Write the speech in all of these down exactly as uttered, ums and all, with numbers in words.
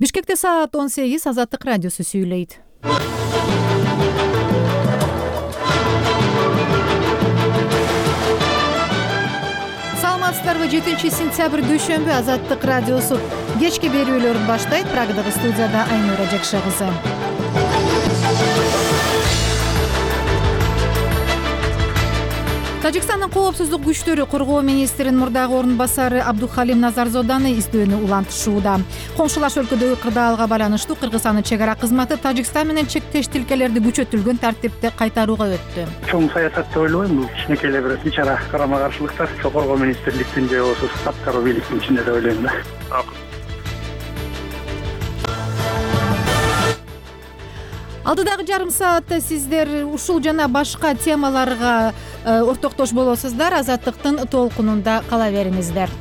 Бишкекте саат он сегиз, Азаттык радиосу сүйлөйт. Саламатсыздарбы? жетинчи сентябрь дүйшөмбү, Азаттык радиосу кечки берүүлөрүн баштайт. Прагадагы студияда Айнура Жакша кызы. Тажикстандын коопсуздук күчтөрү коргоо министринин мурдагы орун басары Абдухалим Назарзоданы издөөнү улантышууда. Коңшулаш өлкөдөгү кырдаалга байланыштуу Кыргызстандын чек ара кызматы Тажикстан менен чектеш тилкелерди күчөтүлгөн тартипте кайтарууга өттү. Чоң саясат деп ойлойм. Бул кичинекей эле бир ич ара карама каршылыктар коргоо министрликтин же болбосо аткаруу бийликтин ичинде деп ойлойм да. Алдыдагы жарым саатта сиздер ушул жана башка темаларга ортоктош болосуздар. Азаттыктын толкунунда кала бериңиздер.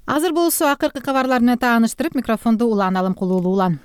Азыр болсо акыркы кабарлар менен тааныштырып, микрофонду Улан Алымкулуулу. Улан.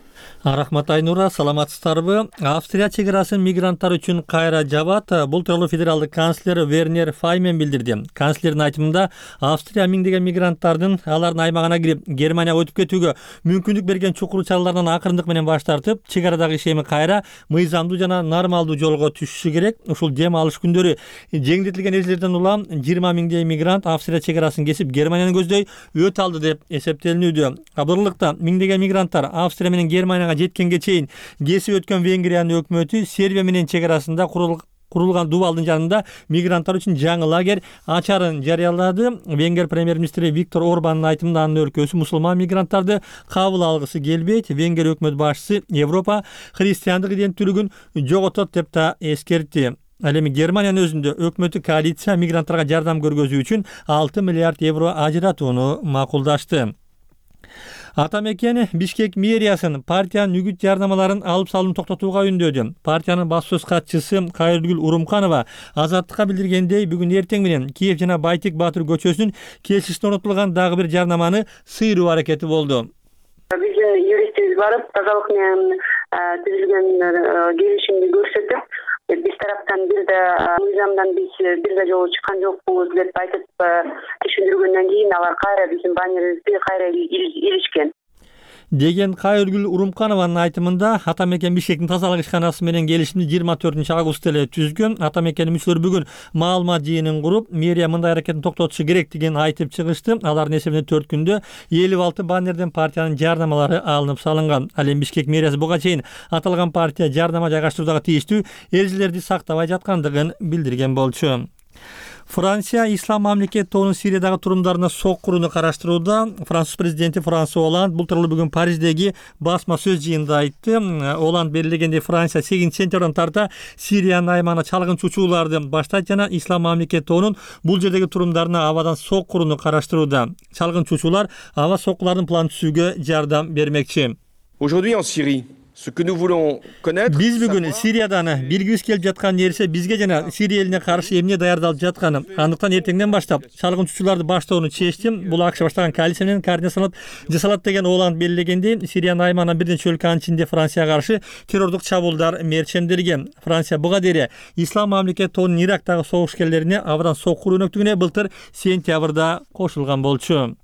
Рахмат Айнура, саламатсыздарбы? Австрия чек арасын мигранттар үчүн кайра жабат. Бул тууралуу федералдык канцлер Вернер Файмен билдирди. Канцлердин айтымында, Австрия миңдеген мигранттардын алардын аймагына кирип, Германияга өтүп кетүүгө мүмкүндүк берген чукул чаралардан акырындык менен баш тартып, чек арадагы ишеми кайра мыйзамдуу жана нормалдуу жолго түшүшү керек. Ушул дем алыш күндөрү жеңилдетилген эрежелерден улам жыйырма миңдей мигрант Австрия чек арасын кесип Германияны көздөй өтө алды деп эсептелинүүдө. Абырлыкта миңдеген мигранттар Австрия менен Германияга жеткенге чейин кесип өткөн Венгриянын өкмөтү Сербия менен чек арасында курулган дубалдын жанында мигранттар үчүн жаңы лагерь ачарын жарыялады. Венгер премьер-министри Виктор Орбандын айтымында, анын өлкөсү мусулман мигранттарды кабыл алгысы келбейт. Венгер өкмөт башчысы Европа христиандык иденттүүлүгүн жоготот деп да эскертти. Ал эми Германиянын өзүндө өкмөтү коалиция мигранттарга жардам көргөзүү үчүн алты миллиард евро ажыратууну макулдашты. Атамекен Бишкек мэриясын партиянын үгүт жардамаларын алып салууну токтотууга үндөдү. Партиянын баш сөз катчысы Кайыргүл Урумканова Азаттыкка билдиргендей, бүгүн эртең менен Киев жана Байтек Баатыр көчөсүнүн кесишине орнотулган дагы бир жарнаманы сыйруу аракети болду. Биздин юристибиз барып, тазалык менен түзүлгөн келишимди көрсөтүп, биз тараптан бир да мыйзамдан биз бир да жолу чыккан жокпуз деп айтып түшүндүргөндөн кийин алар кайра биздин баннерибизди кайра илишкен деген Кайыргүл Урумканованын айтымында, Атамекен Бишкектин тазалык ишканасы менен келишимди жыйырма төртүнчү августта эле түзгөн. Атамекенин мүчөлөрү бүгүн маалымат жыйынын куруп, мэрия мындай аракетин токтотушу керек деген айтып чыгышты. Алардын эсебинде төрт күндө элүү алты баннерден партиянын жардамалары алынып салынган. Ал эми Бишкек мэриясы буга чейин аталган партия жардама жайгаштырууга тийиштүү эрежелерди сактабай жаткандыгын билдирген болчу. Франция Ислам мамлекет тобунун Сириядагы турумдарына сок курууну караштырууда. Француз президенти Франсуа Оланд бул тууралуу бүгүн Париждеги басма сөз жыйынында айтты. Оланд белгилегендей, Франция сегизинчи сентябрдан тарта Сириянын аймагына чалгынчу учууларды баштайт жана Ислам мамлекет тобунун бул жердеги турумдарына абадан сок курууну караштырууда. Чалгынчу учуулар аба соккулардын планын түзүүгө жардам бермекчи. Aujourd'hui en Syrie, ce que nous voulons connaître, биз бүгүн Сириядан билгибиз келип жаткан нерсе бизге жана Сирия элине каршы эмне даярдалып жатканы. Андыктан эртеңден баштап чалгынчууларды баштоону чечтим. Бул АКШ баштаган коалиция менен координацияланып жасалат деген Оланд белгилегендей, Сириянын аймагынан бир нече өлкөнүн ичинде Францияга каршы террордук чабуулдар мерчемделген. Франция буга дейре Ислам мамлекет тобунун Ирактагы согушкерлерине абдан сок куруу өнөктүгүнө былтыр сентябрда кошулган болчу.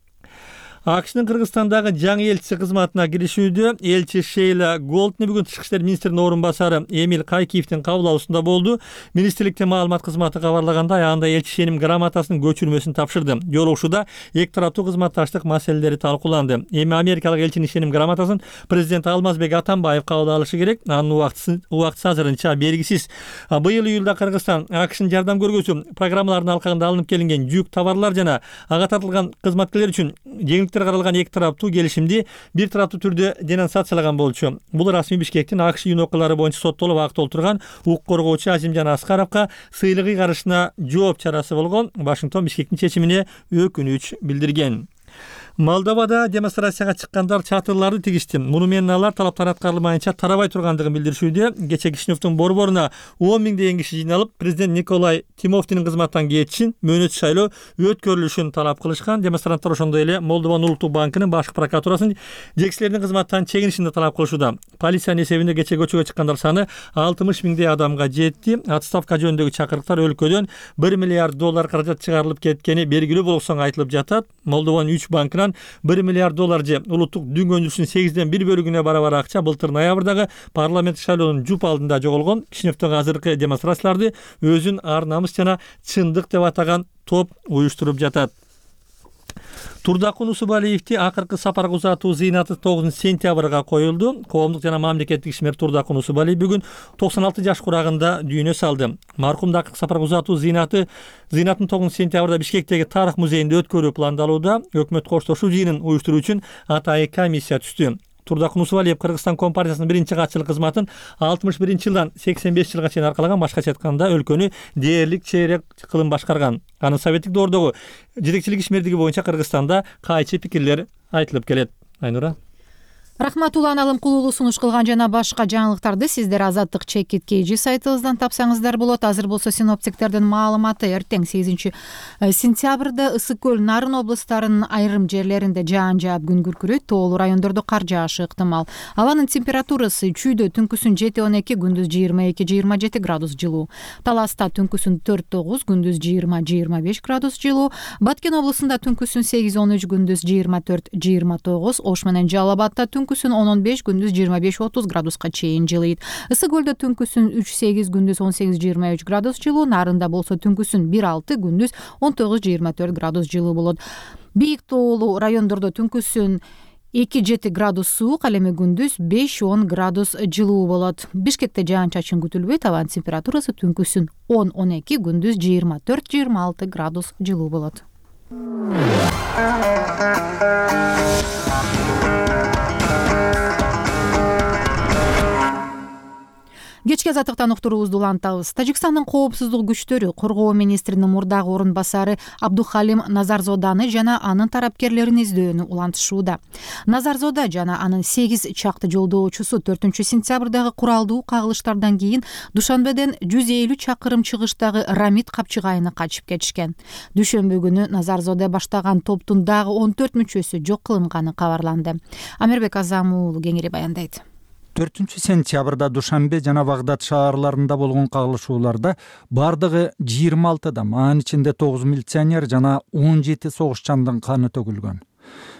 АКШнын Кыргызстандагы жаңы элчиси кызматына киришүүдө элчи Шейла Голдни бүгүн Тышкы иштер министринин орун басары Эмиль Кайкиевдин кабыл алуусунда болду. Министрликтин маалымат кызматы кабарлагандай, анда элчи ишеним грамотасынын көчүрмөсүн тапшырды. Жолугушууда эки тараптуу кызматташтык маселелери талкууланды. Эми америкалык элчинин ишеним грамотасын президент Алмазбек Атамбаев кабыл алышы керек. Анын убактысы убактысы азырынча белгисиз. Быйыл июлда Кыргызстан АКШнын жардам көргөзүү программаларынын алкагында алынып келинген жүк товарлар жана ага тартылган кызматкерлер үчүн жеңилдик каралган эки тараптуу келишимди бир тараптуу түрдө денонсациялаган болчу. Бул расмий Бишкектин АКШ үйүн окуялары боюнча соттолуп актолтурган укук коргоочу Азимжан Аскаровго сыйлык ыйгарышына жооп чарасы болгон. Вашингтон Бишкектин чечимине өкүнүч билдирген. Молдовада демонстрацияга чыккандар чатырларды тигишти. Муну менен алар талаптар аткарылмайынча тарабай тургандыгын билдиришүүдө. Кече Кишиневдин борборуна он миңдеген киши жыйналып, президент Николай Тимофтинин кызматтан кетишин, мөөнөтсүз шайлоо өткөрүлүшүн талап кылышкан. Демонстранттар ошондой эле Молдованын улуттук банкынын башкы прокуратурасынын жетекчилеринин кызматтан чегинишин да талап кылышууда. Полициянын эсебинде кече көчөгө чыккандар саны алтымыш миңдей адамга жетти. Отставка жөнүндөгү чакырыктар өлкөдөн бир миллиард доллар каражат чыгарылып кеткени белгилүү болгон соң айтылып жатат. Молдованын үч банкынан каралган бир миллиард доллар же улуттук дүнгөнчүсүнүн сегизден бир бөлүгүнө барабар акча былтыр ноябрдагы парламент шайлоонун жуп алдында жоголгон. Кишиневдин азыркы демонстрацияларды өзүн ар намыс жана чындык деп атаган топ уюштуруп жатат. Турдакун Усубалиевди акыркы сапарга узатуу зыйнаты тогузунчу сентябрга коюлду. Коомдук жана мамлекеттик ишмер Турдакун Усубалиев бүгүн токсон алты жаш курагында дүйнө салды. Маркумду акыркы сапарга узатуу зыйнаты зыйнатын тогузунчу сентябрда Бишкектеги тарых музейинде өткөрүү пландалууда. Өкмөт коштошуу жыйынын уюштуруу үчүн атайын комиссия түздү. Турдакун Усубалиев Кыргызстан Компартиясынын биринчи катчылык кызматын алтымыш биринчи жылдан сексен беш жылга чейин аркалаган. Башкача айтканда өлкөнү дээрлик чейрек кылым башкарган. Анын советтик доордогу жетекчилик ишмердиги боюнча Кыргызстанда кайчы пикирлер айтылып келет. Айнура. Рахмат Улан Алымкулуулу сунуш кылган жана башка жаңылыктарды сиздер Азаттык чекит kg сайтыбыздан тапсаңыздар болот. Азыр болсо синоптиктердин маалыматы. Эртең сегизинчи сентябрда Ысык көл, Нарын облустарынын айрым жерлеринде жаан жаап күн күркүрөйт, тоолуу райондордо кар жаашы ыктымал. Абанын температурасы чүйдө түнкүсүн жети он эки, күндүз жыйырма эки жыйырма жети градус жылуу. Таласта түнкүсүн төрт тогуз, күндүз жыйырма жыйырма беш градус жылуу. Баткен облусунда түнкүсүн сегиз он үч, күндүз жыйырма төрт жыйырма тогуз. Ош менен Жалал Абадта түнкүсүн он он беш, күндүз жыйырма беш отуз градуска чейин жылыйт. Ысык көлдө түнкүсүн үч сегиз, күндүз он сегиз жыйырма үч градус жылуу. Нарында болсо түнкүсүн бир алты, күндүз он тогуз жыйырма төрт градус жылуу болот. Бийик тоолуу райондордо түнкүсүн эки жети градус суук, ал эми күндүз беш он градус жылуу болот. Бишкекте жаан чачын күтүлбөйт. Абанын температурасы түнкүсүн он он эки, күндүз жыйырма төрт жыйырма алты градус жылуу болот. Кечки азаттыктан уктуруубузду улантабыз. Тажикстандын коопсуздук күчтөрү коргоо министринин мурдагы орун басары Абдухалим Назарзоданы жана анын тарапкерлерин издөөнү улантышууда. Назарзода жана анын сегиз чакты жолдоочусу төртүнчү сентябрдагы куралдуу кагылыштардан кийин Душанбеден жүз элүү чакырым чыгыштагы Рамит капчыгайына качып кетишкен. Дүйшөмбү күнү Назарзода баштаган топтун дагы он төрт мүчөсү жок кылынганы кабарланды. Амирбек Азам уулу кеңири баяндайт. төртүнчү сентябрда Душанбе жана Багдад шаарларында болгон кагылышууларда бардыгы жыйырма алты адам, анын ичинде тогуз милиционер жана он жети согушчандын каны төгүлгөн.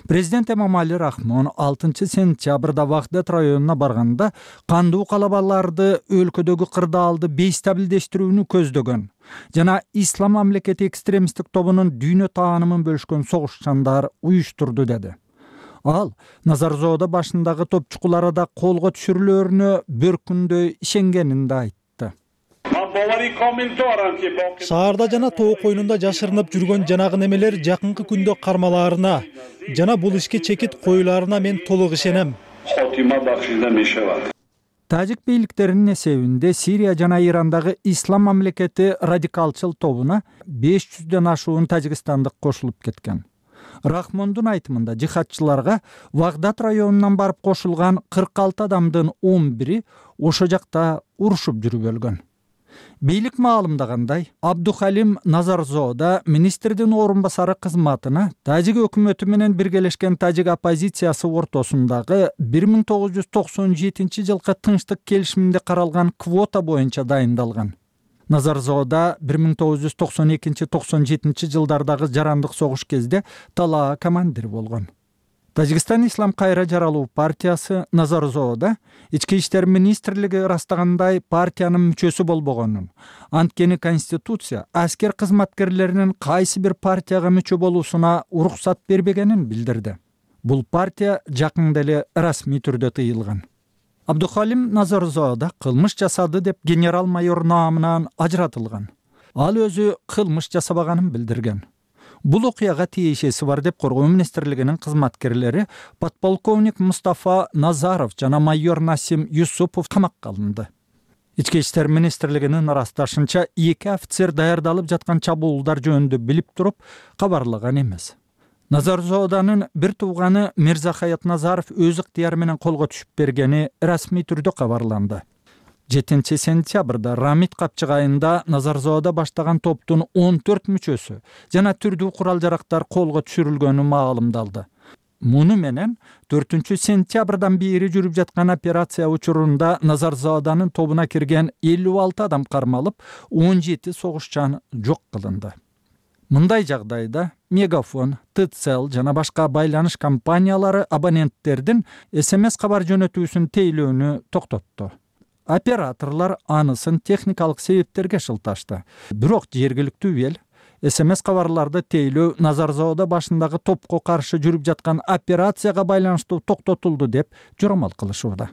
Президент Эмомали Рахмон алтынчы сентябрда Багдад районуна барганда кандуу калабаларды өлкөдөгү кырдаалды бейстабилдештирүүнү көздөгөн жана Ислам мамлекети экстремисттик тобунун дүйнө таанымын бөлүшкөн согушчандар уюштурду деди. Ал Назарзода башындагы топчукулары да колго түшүрүлөрүнө бир күндөй ишенгенин да айтты. Шаарда жана тоо коюнунда жашырынып жүргөн жанагы немелер жакынкы күндө кармалаарына жана бул ишке чекит коюларына мен толук ишенем. Тажик бийликтеринин эсебинде Сирия жана Ирандагы Ислам мамлекети радикалчыл тобуна беш жүздөн ашуун тажикстандык кошулуп кеткен. Рахмондун айтымында жихадчыларга Багдад районунан барып кошулган кырк алты адамдын он бири ошо жакта урушуп жүрүп өлгөн. Бийлик маалымдагандай, Абдухалим Назарзода министрдин орун басары кызматына Тажик өкмөтү менен биргелешкен Тажик оппозициясы ортосундагы бир миң тогуз жүз токсон жетинчи жылкы тынчтык келишиминде каралган квота боюнча дайындалган. Назарзода бир миң тогуз жүз токсон экинчи токсон жетинчи жылдардагы жарандык согуш кезде талаа командир болгон. Тажикстан Ислам кайра жаралуу партиясы Назарзода ички иштер министрлиги ырастагандай партиянын мүчөсү болбогонун, анткени конституция аскер кызматкерлеринин кайсы бир партияга мүчө болуусуна уруксат бербегенин билдирди. Бул партия жакында эле расмий түрдө тыйылган. Абдухалим Назарзода кылмыш жасады деп генерал-майор наамынан ажыратылган. Ал өзү кылмыш жасабаганын билдирген. Бул окуяга тиешеси бар деп коргоо министрлигинин кызматкерлери подполковник Мустафа Назаров жана майор Насим Юсупов камакка алынды. Ички иштер министрлигинин ырасташынча эки офицер даярдалып жаткан чабуулдар жөнүндө билип туруп кабарлаган эмес. Назарзоданын бир тууганы Мирзахаят Назаров өз ыктыяры менен колго түшүп бергени расмий түрдө кабарланды. жетинчи сентябрда Рамит капчыгайында Назарзода баштаган топтун он төрт мүчөсү жана түрдүү курал-жарактар колго түшүрүлгөнү маалымдалды. Муну менен төртүнчү сентябрдан бери жүрүп жаткан операция учурунда Назарзоданын тобуна кирген элүү алты адам кармалып, он жети согушчан жок кылынды. Мындай жагдайда Мегафон, ТЦЛ жана башка байланыш компаниялары абоненттердин эс эм эс кабар жөнөтүүсүн тейлөөнү токтотту. Операторлор анысын техникалык себептерге шылташты. Бирок жергиликтүү эл эс эм эс кабарларды тейлөө Назарзоодо башындагы топко каршы жүрүп жаткан операцияга байланыштуу токтотулду деп жоромал кылышууда.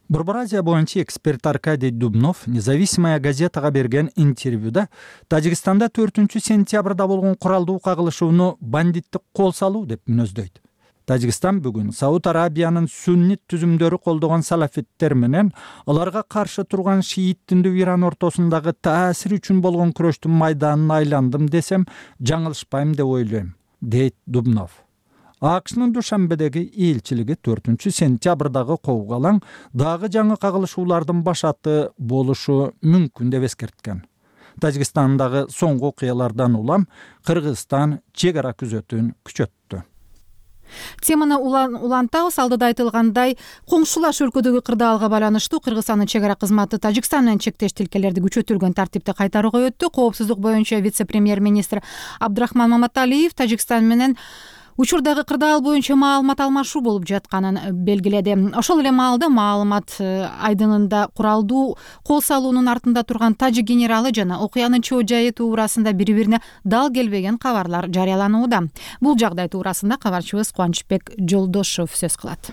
Борбор Азия боюнча эксперт Аркадий Дубнов Независимая газетага берген интервьюда Тажикстанда төртүнчү сентябрда болгон куралдуу кагылышууну бандиттик кол салуу деп мүнөздөйт. Тажикстан бүгүн Сауд Арабиянын суннит түзүмдөрү колдогон салафиттер менен аларга каршы турган шиит диндүү Иран ортосундагы таасир үчүн болгон күрөштүн майданын айландым десем жаңылышпайм деп ойлойм, дейт Дубнов. АКШнын Душанбедеги элчилиги төртүнчү сентябрдагы куугалаң дагы жаңы кагылышуулардын башаты болушу мүмкүн деп эскерткен. Тажикстандагы соңку окуялардан улам Кыргызстан чек ара күзөтүүн күчөттү. Теманы улантабыз. Алдыда айтылгандай, коңшулаш өлкөдөгү кырдаалга байланыштуу Кыргызстандын чек ара кызматы Тажикстан менен чектеш тилкелерди күчөтүлгөн тартипте кайтарууга өттү. Коопсуздук боюнча вице-премьер-министр Абдрахман Маматалиев Тажикстан менен учурдагы кырдаал боюнча маалымат алмашуу болуп жатканын белгиледи. Ошол эле маалда маалымат айдынында куралдуу кол салуунун артында турган тажик генералы жана окуянын чоо жайы туурасында бири-бирине дал келбеген кабарлар жарыяланууда. Бул жагдай туурасында кабарчыбыз Кубанычбек Жолдошов сөз кылат.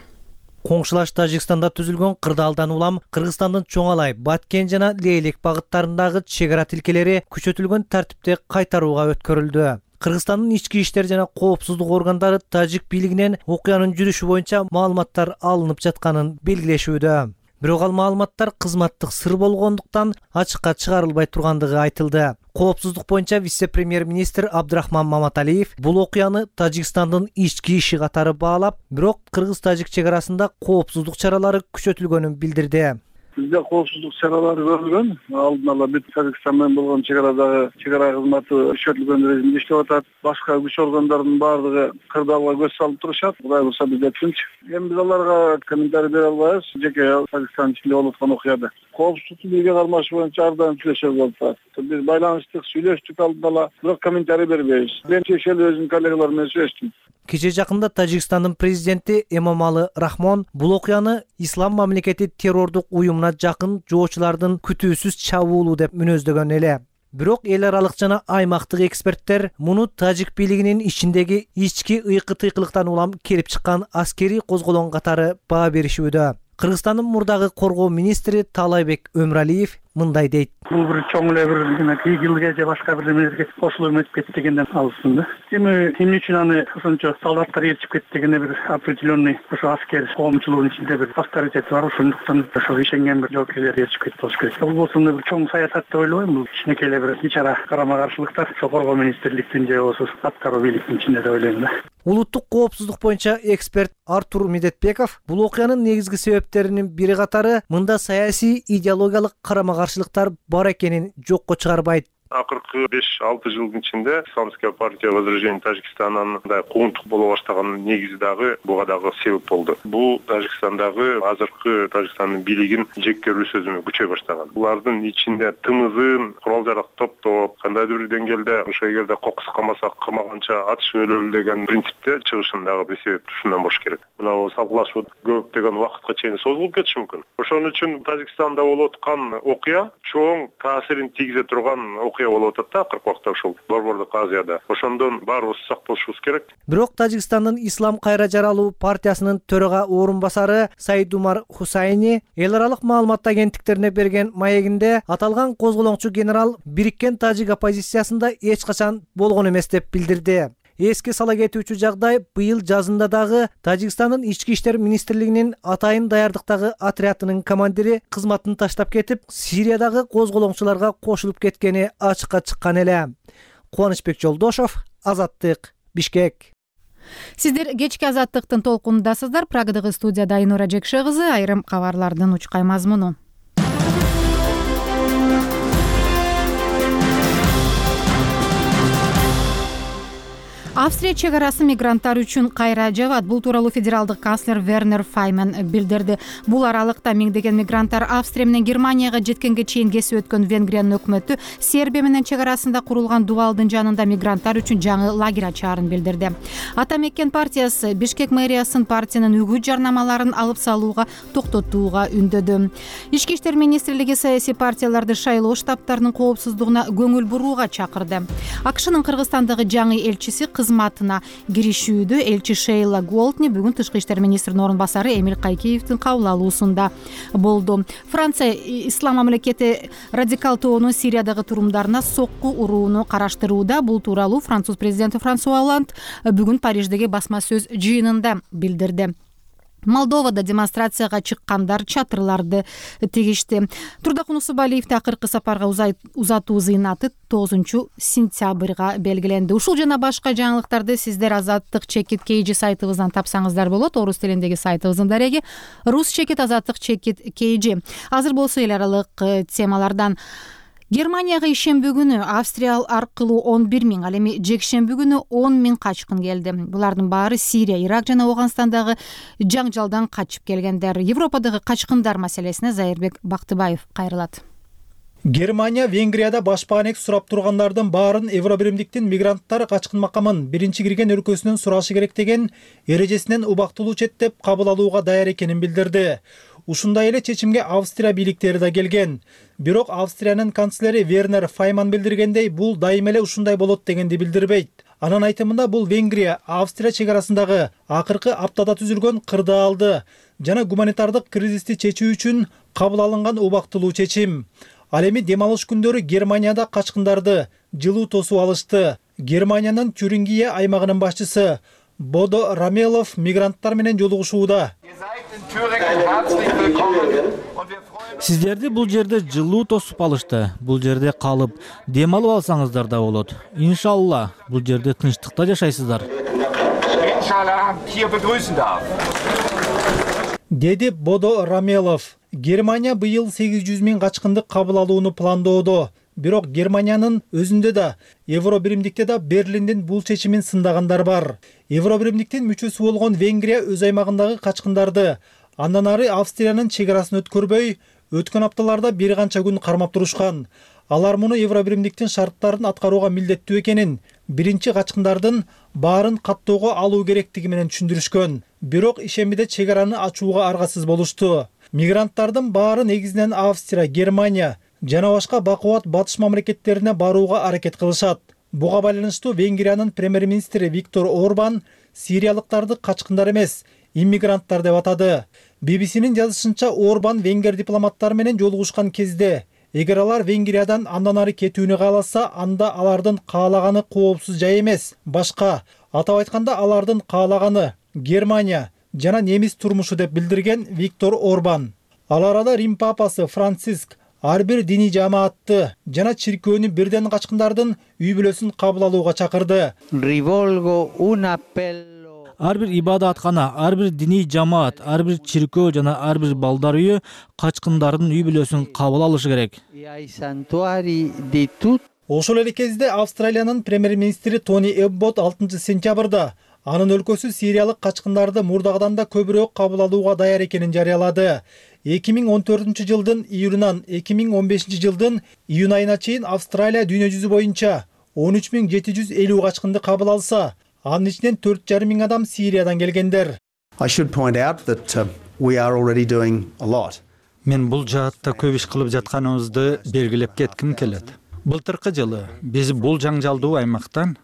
Коңшулаш Тажикстанда түзүлгөн кырдаалдан улам Кыргызстандын Чоң Алай, Баткен жана Лейлек багыттарындагы чек ара тилкелери күчөтүлгөн тартипте кайтарууга өткөрүлдү. Кыргызстандын ички иштер жана коопсуздук органдары тажик бийлигинен окуянын жүрүшү боюнча маалыматтар алынып жатканын белгилешүүдө. Бирок ал маалыматтар кызматтык сыр болгондуктан ачыкка чыгарылбай тургандыгы айтылды. Коопсуздук боюнча вице-премьер-министр Абдрахман Маматалиев бул окуяны Тажикстандын ички иши катары баалап, бирок кыргыз-тажик чек арасында коопсуздук чаралары күчөтүлгөнүн билдирди. Бизде коопсуздук чаралары көрүлгөн. Алдын ала бүт Тажикстан менен болгон чек арадагы чек ара кызматы күчөтүлгөн режимде иштеп атат. Башка күч органдарынын баардыгы кырдаалга көз салып турушат. Кудай буюрса бизде тынч. Эми биз аларга комментарий бере албайбыз. Жеке Тажикстан ичинде болуп аткан окуяда. Коопсуздук бийлиги кармашы боюнча ар дайым сүйлөшөбүз болуп турат. Биз байланыштык, сүйлөштүк алдын ала, бирок комментарий бербейбиз. Мен чечели өзүнүн коллегалар менен сүйлөштүм. Кече жакында Тажикстандын президенти Эмомали Рахмон бул окуяны ислам мамлекети террордук уюмуна жакын жоочулардын күтүүсүз чабуулу деп мүнөздөгөн эле. Бирок эл аралык жана аймактык эксперттер муну тажик бийлигинин ичиндеги ички ыйкы-тыйкылыктан улам келип чыккан аскерий козголоң катары баа беришүүдө. Кыргызстандын мурдагы коргоо министри Таалайбек Өмралиев мындай дейт. Бул бир чоң эле бир ийгилге же башка бир немелерге кошулуп өтүп кетти дегенден алсын да. Эми эмне үчүн аны ошончо солдаттар ээрчип кетти дегенде бир определенный ошо аскер коомчулугунун ичинде бир авторитети бар, ошондуктан ошо ишенген бир жоокейлер ээрчип кетти болуш керек. Бул болсо бир чоң саясат деп ойлойм. Бул кичинекей эле бир ич ара карама каршылыктар ошо коргоо министрликтин же болбосо аткаруу бийликтин ичинде деп ойлойм да. Улуттук коопсуздук боюнча эксперт Артур Медетбеков бул окуянын негизги себептеринин бири катары мында саясий идеологиялык карама каршылыктар бар экенин жокко чыгарбайт. Акыркы беш алты жылдын ичинде Исламская партия Возрождения Тажикстананын мындай куугунтук боло баштаганын негизи дагы буга дагы себеп болду. Бул Тажикстандагы азыркы Тажикстандын бийлигин жеккөрүү сөзүнө күчөй баштаган. Булардын ичинде тымызын курал жарак топтоп, кандайдыр бир деңгээлде ошо эгерде кокус калмаса кырмаганча атышып өлөлү деген принципте чыгышындагы бир себеп ушундан болуш керек. Мына салгылашуу көптөгөн убакытка чейин созулуп кетиши мүмкүн. Ошон үчүн Тажикстанда болуп аткан окуя чоң таасирин тийгизе турган окуя болуп атат да акыркы убакта ушул Борбордук Азияда. Ошондон баарыбыз сак болушубуз керек. Бирок Тажикстандын Ислам кайра жаралуу партиясынын төрага орун басары Саидумар Хусайни эл аралык маалымат агенттиктерине берген маегинде аталган козголоңчу генерал бириккен тажик оппозициясында эч качан болгон эмес деп билдирди. Эске сала кетүүчү жагдай быйыл жазында дагы Тажикстандын ички иштер министрлигинин атайын даярдыктагы отрядынын командири кызматын таштап кетип, Сириядагы козголоңчуларга кошулуп кеткени ачыкка чыккан эле. Кубанычбек Жолдошов, Азаттык, Бишкек. Сиздер кечки Азаттыктын толкунундасыздар. Прагадагы студияда Айнура Жекше кызы, айрым кабарлардын учкай мазмуну. Австрия чек арасы мигранттар үчүн кайра жабат. Бул тууралуу федералдык канцлер Вернер Файман билдирди. Бул аралыкта миңдеген мигранттар Австрия менен Германияга жеткенге чейин кесип өткөн Венгриянын өкмөтү Сербия менен чек арасында курулган дубалдын жанында мигранттар үчүн жаңы лагерь ачаарын билдирди. Ата Меккен партиясы Бишкек мэриясын партиянын үгүт жарнамаларын алып салууга токтотууга үндөдү. Ички иштер министрлиги саясий партияларды шайлоо штабтарынын коопсуздугуна көңүл бурууга чакырды. АКШнын Кыргызстандагы жаңы элчиси кызматына киришүүдө элчи Шейла Голтни бүгүн тышкы иштер министринин орун басары Эмиль Кайкеевдин кабыл алуусунда болду. Франция ислам мамлекети радикал тобунун Сириядагы турумдарына сокку урууну караштырууда. Бул тууралуу француз президенти Франсуа Олланд бүгүн Париждеги басма сөз жыйынында билдирди. Молдовада демонстрацияга чыккандар чатырларды тигишти. Турдак Унусубалиевди акыркы сапарга узатуу зыйнаты тогузунчу сентябрга белгиленди. Ушул жана башка жаңылыктарды сиздер Азаттык чекит Кейжи сайтыбыздан тапсаңыздар болот. Орус тилиндеги сайтыбыздын дареги Рус чекит Азаттык чекит Кейжи. Азыр болсо эл аралык темалардан Германияга ишемби күнү Австрия аркылуу он бир миң, ал эми жекшемби күнү он миң качкын келди. Булардын баары Сирия, Ирак жана Афганистандагы жаңжалдан качып келгендер. Европадагы качкындар маселесине Зайырбек Бактыбаев кайрылат. Германия Венгрияда башпаанек сурап тургандардын баарын Евробиримдиктин мигранттар качкын макамын биринчи кирген өлкөсүнөн сурашы керек деген эрежесинен убактылуу четтеп кабыл алууга даяр экенин билдирди. Ушундай эле чечимге Австрия бийликтери да келген. Бирок Австриянын канцлери Вернер Файман билдиргендей, бул дайыма эле ушундай болот дегенди билдирбейт. Анын айтымында бул Венгрия Австрия чек арасындагы акыркы аптада түзүлгөн кырдаалды жана гуманитардык кризисти чечүү үчүн кабыл алынган убактылуу чечим. Ал эми дем алыш күндөрү Германияда качкындарды жылуу тосуп алышты. Германиянын Тюрингия аймагынын башчысы Бодо Рамелов мигранттар менен жолугушууда. Сиздерди бул жерде жылуу тосуп алышты. Бул жерде калып, дем алып алсаңыздар да болот. Иншалла, бул жерде тынчтыкта жашайсыздар. Деди Бодо Рамелов. Германия быйыл сегиз жүз миң качкынды кабыл алууну пландоодо. Бирок Германиянын өзүндө да, Евробиримдикте да Берлиндин бул чечимин сындагандар бар. Евробиримдиктин мүчөсү болгон Венгрия өз аймагындагы качкындарды андан ары Австриянын чек арасын өткөрбөй, өткөн апталарда бир канча күн кармап турушкан. Алар муну Евробиримдиктин шарттарын аткарууга милдеттүү экенин, биринчи качкындардын баарын каттоого алуу керектиги менен түшүндүрүшкөн. Бирок ишембиде чек араны ачууга аргасыз болушту. Мигранттардын баары негизинен Австрия, Германия жана башка бакубат батыш мамлекеттерине барууга аракет кылышат. Буга байланыштуу Венгриянын премьер-министри Виктор Орбан сириялыктарды качкындар эмес, иммигранттар деп атады. би би си-нин жазышынча Орбан венгер дипломаттары менен жолугушкан кезде, эгер алар Венгриядан андан ары кетүүнү кааласа, анда алардын каалаганы коопсуз жай эмес, башка. Атап айтканда, алардын каалаганы Германия жана немис турмушу деп билдирген Виктор Орбан. Ал арада Рим папасы Франциск ар бир диний жамаатты жана чиркөөнү бирден качкындардын үй бүлөсүн кабыл алууга чакырды. Ар бир ибадаткана, ар бир диний жамаат, ар бир чиркөө жана ар бир балдар үйү качкындардын үй бүлөсүн кабыл алышы керек. Ошол эле кезде Австралиянын премьер-министри Тони Эббот алтынчы сентябрда анын өлкөсү сириялык качкындарды мурдагыдан да көбүрөөк кабыл алууга даяр экенин жарыялады. эки миң он төртүнчү жылдын июлунан эки миң он бешинчи жылдын июнь айына чейин Австралия дүйнө жүзү боюнча он үч миң жети жүз элүү качкынды кабыл алса, анын ичинен төрт жарым миң адам Сириядан келгендер. Мен бул жаатта көп иш кылып жатканыбызды белгилеп кетким келет. Былтыркы жылы биз бул жаңжалдуу аймактан,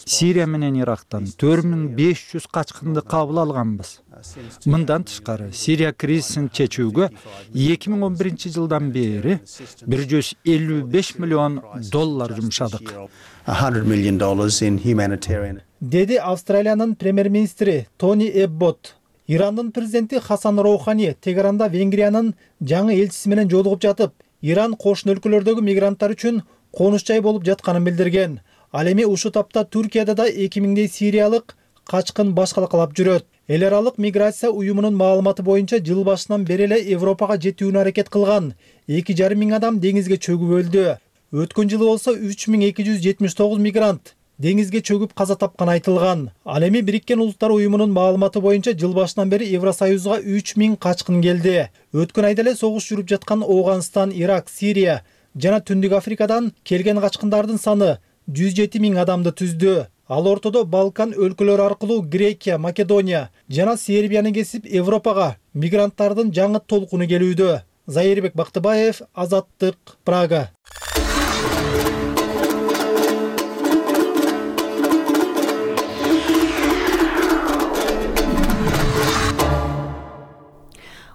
Сирия менен Ирактан төрт миң беш жүз качкынды кабыл алганбыз. Мындан тышкары, Сирия кризисин чечүүгө эки миң он биринчи жылдан бери бир жүз элүү беш миллион доллар жумшадык. Деди Австралиянын премьер-министри Тони Эббот. Ирандын президенти Хасан Роухани Тегеранда Венгриянын жаңы элчиси менен жолугуп жатып, Иран кошуна өлкөлөрдөгү мигранттар үчүн конуш жай болуп жатканын билдирген. Ал эми ушул тапта Түркияда да эки миңдей сириялык качкын башкалакалап жүрөт. Эл аралык миграция уюмунун маалыматы боюнча жыл башынан бери эле Европага жетүүнү аракет кылган эки жарым миң адам деңизге чөгүп өлдү. Өткөн жылы болсо үч миң эки жүз жетимиш тогуз мигрант деңизге чөгүп каза тапканы айтылган. Ал эми Бириккен Улуттар уюмунун маалыматы боюнча жыл башынан бери Евросоюзга үч миң качкын келди. Өткөн айда эле согуш жүрүп жаткан Ооганстан, Ирак, Сирия жана Түндүк Африкадан келген качкындардын саны жүз жети миң адамды түздү. Ал ортодо Балкан өлкөлөрү аркылуу Грекия, Македония жана Сербияны кесип Европага мигранттардын жаңы толкуну келүүдө. Зайырбек Бактыбаев, Азаттык, Прага.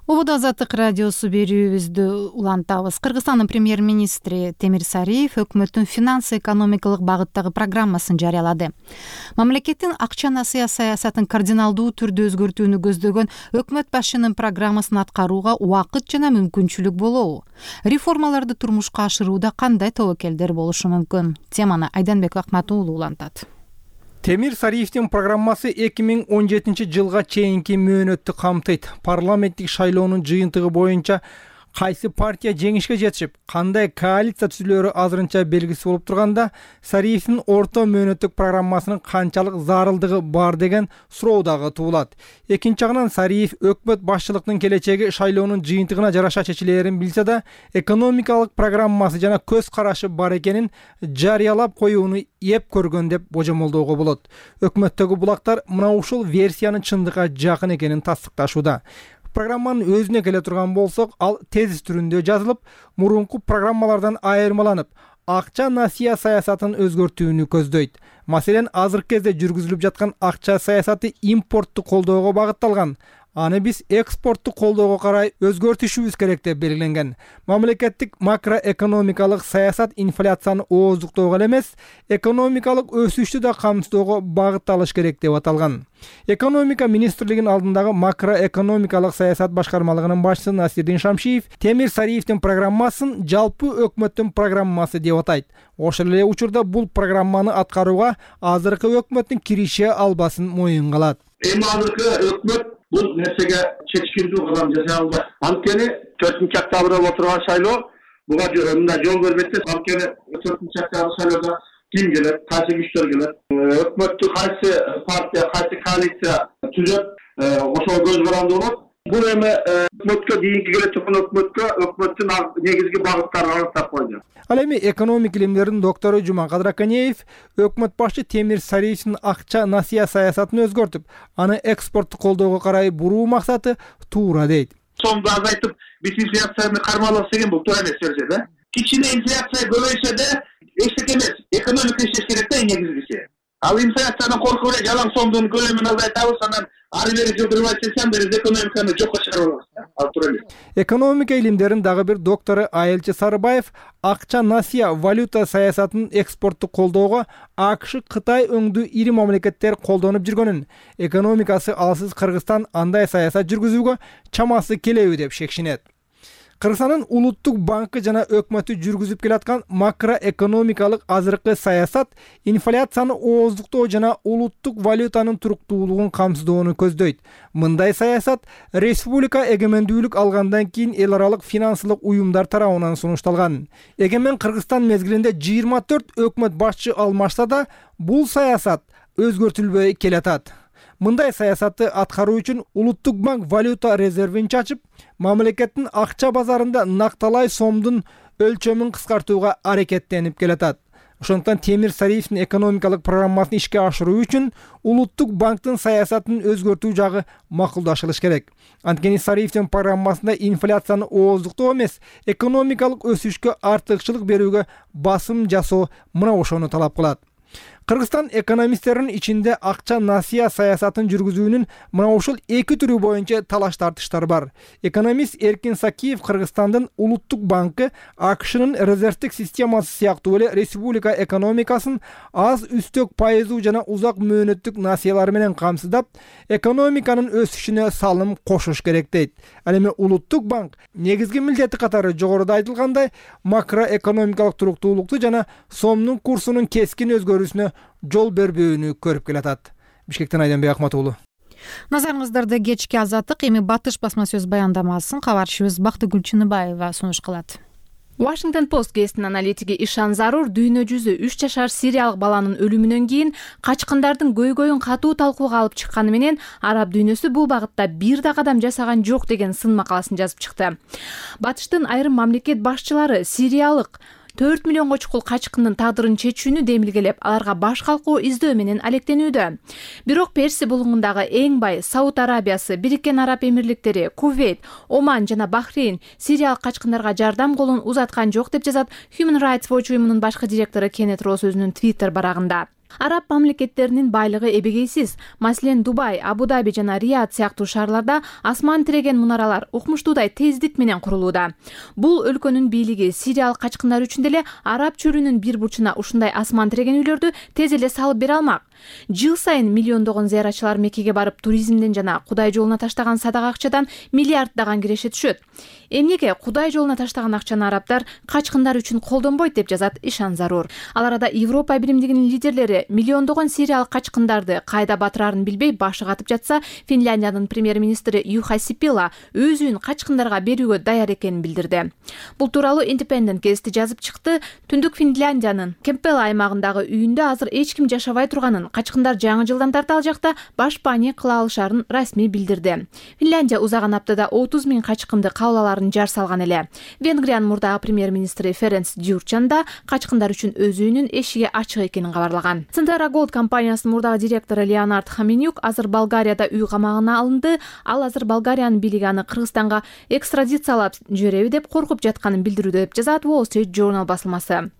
Ободо Азаттык радиосу берүүбүздү улантабыз. Кыргызстандын премьер-министри Темир Сариев өкмөттүн финансы-экономикалык багыттагы программасын жарыялады. Мамлекеттин акча-насыя саясатын кардиналдуу түрдө өзгөртүүнү көздөгөн өкмөт башчынын программасын аткарууга убакыт жана мүмкүнчүлүк болобу? Реформаларды турмушка ашырууда кандай тобокелдер болушу мүмкүн? Теманы Айданбек Акмат уулу улантат. Темир Сариевдин программасы эки миң он жетинчи жылга чейинки мөөнөттү камтыйт. Парламенттик шайлоонун жыйынтыгы боюнча кайсы партия жеңишке жетишип, кандай коалиция түзүлөрү азырынча белгисиз болуп турганда, Сариевдин орто мөөнөттүк программасынын канчалык зарылдыгы бар деген суроо дагы туулат. Экинчи жагынан Сариев өкмөт башчылыктын келечеги шайлоонун жыйынтыгына жараша чечилерин билсе да, экономикалык программасы жана көз карашы бар экенин жарыялап коюуну эп көргөн деп божомолдоого болот. Өкмөттөгү булактар мына ушул версиянын чындыкка жакын экенин тастыкташууда. Программанын өзүнө келе турган болсок, ал тезис түрүндө жазылып, мурунку программалардан айырмаланып, акча насыя саясатын өзгөртүүнү көздөйт. Маселен, азыркы кезде жүргүзүлүп жаткан акча саясаты импортту колдоого багытталган. Аны биз экспортту колдоого карай өзгөртүшүбүз керек деп белгиленген. Мамлекеттик макроэкономикалык саясат инфляцияны ооздуктоого эле эмес, экономикалык өсүштү да камсыздоого багытталыш керек деп аталган. Экономика министрлигинин алдындагы макроэкономикалык саясат башкармалыгынын башчысы Насирдин Шамшиев Темир Сариевдин программасын жалпы өкмөттүн программасы деп атайт. Ошол эле учурда бул программаны аткарууга азыркы өкмөттүн киреше албасын моюнга алат. Эми азыркы өкмөт бул нерсеге чечкиндүү кадам жасай албайт. Анткени төртүнчү октябрда отурган шайлоо буга мындай жол бербейт да. Анткени төртүнчү октябрда шайлоодо ким келет, кайсы күчтөр келет, өкмөттү кайсы партия, кайсы коалиция түзөт, ошого көз каранды болот. Бул эми өкмөткө дейинки келе турган өкмөткө өкмөттүн негизги багыттарын аныктап койду. Ал эми экономика илимдеринин доктору Жумакадыр Аканеев өкмөт башчы Темир Сариевдин акча насыя саясатын өзгөртүп, аны экспортту колдоого карай буруу максаты туура дейт. Сомду азайтып, биз инфляцияны кармалабыз деген бул туура эмес берсе да. Кичине инфляция көбөйсө да эчтеке эмес, экономика иштеш керек да негизгиси. Ал инфляциядан коркуп эле жалаң сомдун көлөмүн азайтабыз, анан ары бери жылдырбай чечсем биз экономиканы жокко чыгарабыз. Ал туура эмес. Экономика илимдеринин дагы бир доктору Айылчы Сарыбаев акча насыя валюта саясатын экспортту колдоого АКШ, Кытай өңдүү ири мамлекеттер колдонуп жүргөнүн, экономикасы алсыз Кыргызстан андай саясат жүргүзүүгө чамасы келеби деп шекшинет. Кыргызстандын улуттук банкы жана өкмөтү жүргүзүп келаткан макроэкономикалык азыркы саясат инфляцияны ооздуктоо жана улуттук валютанын туруктуулугун камсыздоону көздөйт. Мындай саясат республика эгемендүүлүк алгандан кийин эл аралык финансылык уюмдар тарабынан сунушталган. Эгемен Кыргызстан мезгилинде жыйырма төрт өкмөт башчы алмашса да, бул саясат өзгөртүлбөй келатат. Мындай саясатты аткаруу үчүн Улуттук банк валюта резервин чачып, мамлекеттин акча базарында накталай сомдун өлчөмүн кыскартууга аракеттенип келатат. Ошондуктан Темир Сариевдин экономикалык программасын ишке ашыруу үчүн Улуттук банктын саясатын өзгөртүү жагы макулдашылыш керек. Анткени Сариевдин программасында инфляцияны ооздуктоо эмес, экономикалык өсүшкө артыкчылык берүүгө басым жасоо мына ошону талап кылат. Кыргызстан экономисттеринин ичинде акча насыя саясатын жүргүзүүнүн мына ушул эки түрү боюнча талаш тартыштар бар. Экономист Эркин Сакиев Кыргызстандын Улуттук банкы АКШнын резервдик системасы сыяктуу эле республика экономикасын аз үстөк пайыздуу жана узак мөөнөттүк насыялар менен камсыздап, экономиканын өсүшүнө салым кошуш керек дейт. Ал эми Улуттук банк негизги милдети катары жогоруда айтылгандай макроэкономикалык туруктуулукту жана сомдун курсунун кескин өзгөрүүсүнө жол бербөөнү көрүп келатат. Бишкектен Айданбек Акмат уулу. Назарыңыздарда кечки Азаттык, эми Батыш басма сөз баяндамасын кабарчыбыз Бактыгүл Чыныбаева сунуш кылат. Washington Post гезитинин аналитиги Ишан Зарур дүйнө жүзү үч жашар сириялык баланын өлүмүнөн кийин качкындардын көйгөйүн катуу талкууга алып чыкканы менен араб дүйнөсү бул багытта бир да кадам жасаган жок деген сын макаласын жазып чыкты. Батыштын айрым мамлекет башчылары сириялык төрт миллионго чукул качкындын тагдырын чечүүнү демилгелеп, аларга баш калкуу издөө менен алектенүүдө. Бирок Персия булугундагы эң бай Сауд Арабиясы, Бириккен Араб Эмирликтери, Кувейт, Оман жана Бахрейн сириялык качкындарга жардам колун узаткан жок деп жазат Human Rights Watch уюмунун башкы директору Кеннет Росс өзүнүн Twitter барагында. Араб мамлекеттеринин байлыгы эбегейсиз. Маселен, Дубай, Абу-Даби жана Риад сыяктуу шаарларда асман тиреген мунаралар укмуштуудай тездик менен курулууда. Бул өлкөнүн бийлиги сириялык качкындар үчүн деле араб чөлүнүн бир бурчуна ушундай асман тиреген үйлөрдү тез эле салып бере алмак. Жыл сайын миллиондогон зыяратчылар Меккеге барып туризмден жана Кудай жолуна таштаган садага акчадан миллиарддаган киреше түшөт. Эмнеге Кудай жолуна таштаган акчаны арабдар качкындар үчүн колдонбойт деп жазат Ишан Зарур. Ал арада Европа биримдигинин лидерлери миллиондогон сириялык качкындарды кайда батырарын билбей башы катып жатса, Финляндиянын премьер-министри Юха Сипила өз үйүн качкындарга берүүгө даяр экенин билдирди. Бул тууралуу Independent гезити жазып чыкты. Түндүк Финляндиянын Кемпела аймагындагы үйүндө азыр эч ким жашабай турганын, качкындар жаңы жылдан тарта ал жакта баш пани кыла алышарын расмий билдирди. Финляндия узаган аптада отуз миң качкынды кабыл аларын жар салган эле. Венгриянын мурдагы премьер-министри Ференц Дюрчан да качкындар үчүн өз үйүнүн эшиги ачык экенин кабарлаган. Центара Голд компаниясынын мурдагы директору Леонард Хаменюк азыр Болгарияда үй камагына алынды. Ал азыр Болгариянын бийлиги аны Кыргызстанга экстрадициялап жибереби деп коркуп жатканын билдирүүдө деп жазат Wall Street Journal басылмасы.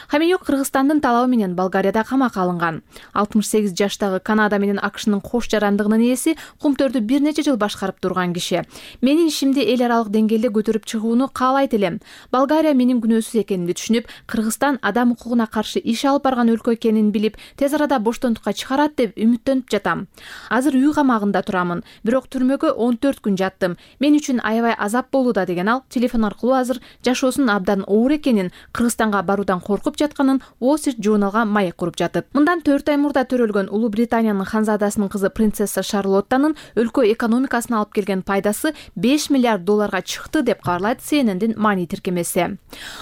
Хаменюк Кыргызстандын талабы менен Болгарияда камакка алынган. алтымыш сегиз жаштагы Канада менен АКШнын кош жарандыгынын ээси Кумтөрдү бир нече жыл башкарып турган киши. Менин ишимди эл аралык деңгээлде көтөрүп чыгууну каалайт элем. Болгария менин күнөөсүз экенимди түшүнүп, Кыргызстан адам укугуна каршы иш алып барган өлкө экенин билип, тез арада боштондукка чыгарат деп үмүттөнүп жатам. Азыр үй камагында турамын, бирок түрмөгө он төрт күн жаттым. Мен үчүн аябай азап болууда деген ал телефон аркылуу азыр жашоосунун абдан оор экенин, Кыргызстанга баруудан коркуп жатканын Wall Street Journalга маек куруп жатып. Мындан төрт ай мурда төрөлгөн Улуу Британиянын ханзадасынын кызы принцесса Шарлоттанын өлкө экономикасына алып келген пайдасы беш миллиард долларга чыкты деп кабарлайт Си Эн Эндин Мани тиркемеси.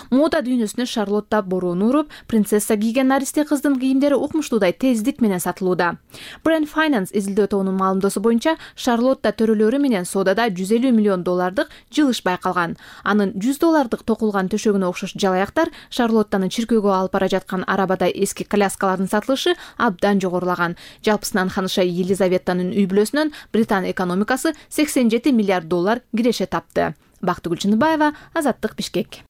Мода дүйнөсүнө Шарлотта бороону уруп, принцесса кийген наристе кыздын кийимдери укмуштуудай тездик менен сатылууда. Brand Finance изилдөө тобунун маалымдоосу боюнча Шарлотта төрөлөрү менен соодада жүз элүү миллион доллардык жылыш байкалган. Анын жүз доллардык токулган төшөгүнө окшош жалаяктар Шарлоттаны чиркөөгө алып бара жаткан арабадай эски коляскалардын сатылышы абдан жогорулаган. Жалпысынан ханыша Елизаветанын үй бүлөсүнөн Британ экономикасы сексен жети миллиард доллар киреше тапты. Бактыгүл Чыныбаева, Азаттык, Бишкек.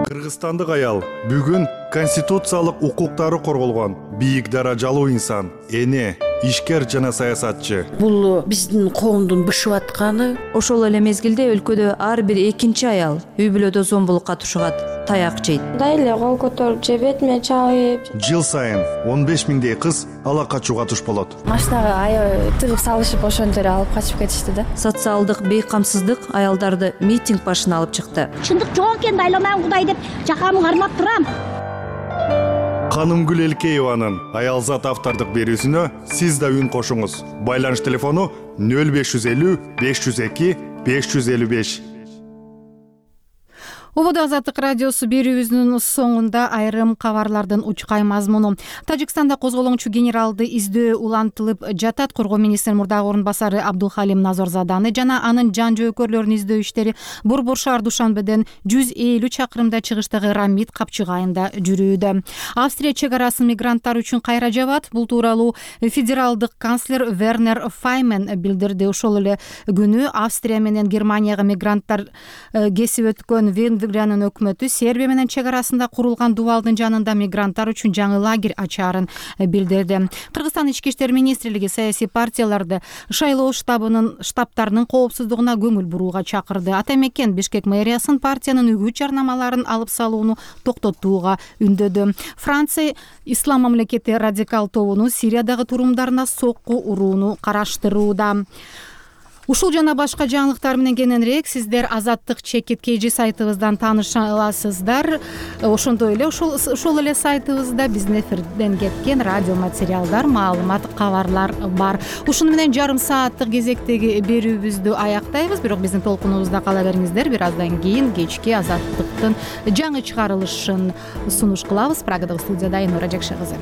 Кыргызстандык аял бүгүн конституциялык укуктары корголгон бийик даражалуу инсан, эне, ишкер жана саясатчы. Бул биздин коомдун бышып атканы. Ошол эле мезгилде өлкөдө ар бир экинчи аял үй бүлөдө зомбулукка тушугат, таяк жейт. Мындай эле кол көтөрүп же бетиме чабып. Жыл сайын он беш миңдей кыз ала качууга туш болот. Машинага аябай тыгып салышып ошентип эле алып качып кетишти да. Социалдык бейкамсыздык аялдарды митинг башына алып чыкты. Чындык жок экен, айламайм Кудай деп жакамы кармап турам. Канымгүл Элкееванын Аялзат автордук берүүсүнө сиз да үн кошуңуз. Байланыш телефону нөл беш жүз элүү беш жүз эки беш жүз элүү беш. Убада Азаттык радиосу берүүбүздүн соңунда айрым кабарлардын учкай мазмуну. Тажикстанда козголоңчу генералды издөө улантылып жатат. Коргоо министринин мурдагы орун басары Абдулхалим Назарзаданы жана анын жан жөөкөрлөрүнүн издөө иштери Борбор шаар Душанбеден жүз элүү чакырымда чыгыштагы Рамит капчыгайында жүрүүдө. Австрия чек арасын мигранттар үчүн кайра жабат. Бул тууралуу федералдык канцлер Вернер Файмен билдирди. Ошол эле күнү Австрия менен Германияга мигранттар кесип өткөн Венгриянын өкмөтү Сербия менен чек арасында курулган дубалдын жанында мигранттар үчүн жаңы лагерь ачаарын билдирди. Кыргызстан ички иштер министрлиги саясий партияларды шайлоо штабынын штабтарынын коопсуздугуна көңүл бурууга чакырды. Ата мекен Бишкек мэриясын партиянын үгүт жарнамаларын алып салууну токтотууга үндөдү. Франция Ислам мамлекети радикал тобунун Сириядагы турумдарына сокку урууну караштырууда. Ушул жана башка жаңылыктар менен кененирээк сиздер Азаттык чекит kg сайтыбыздан тааныша аласыздар. Ошондой эле ошол ошол эле сайтыбызда биздин эфирден кеткен радио материалдар, маалымат, кабарлар бар. Ушуну менен жарым сааттык кезектеги берүүбүздү аяктайбыз, бирок биздин толкунубузда кала бериңиздер. Бир аздан кийин кечки Азаттыктын жаңы чыгарылышын сунуш кылабыз. Прагадагы студияда Айнура Жакшы кызы.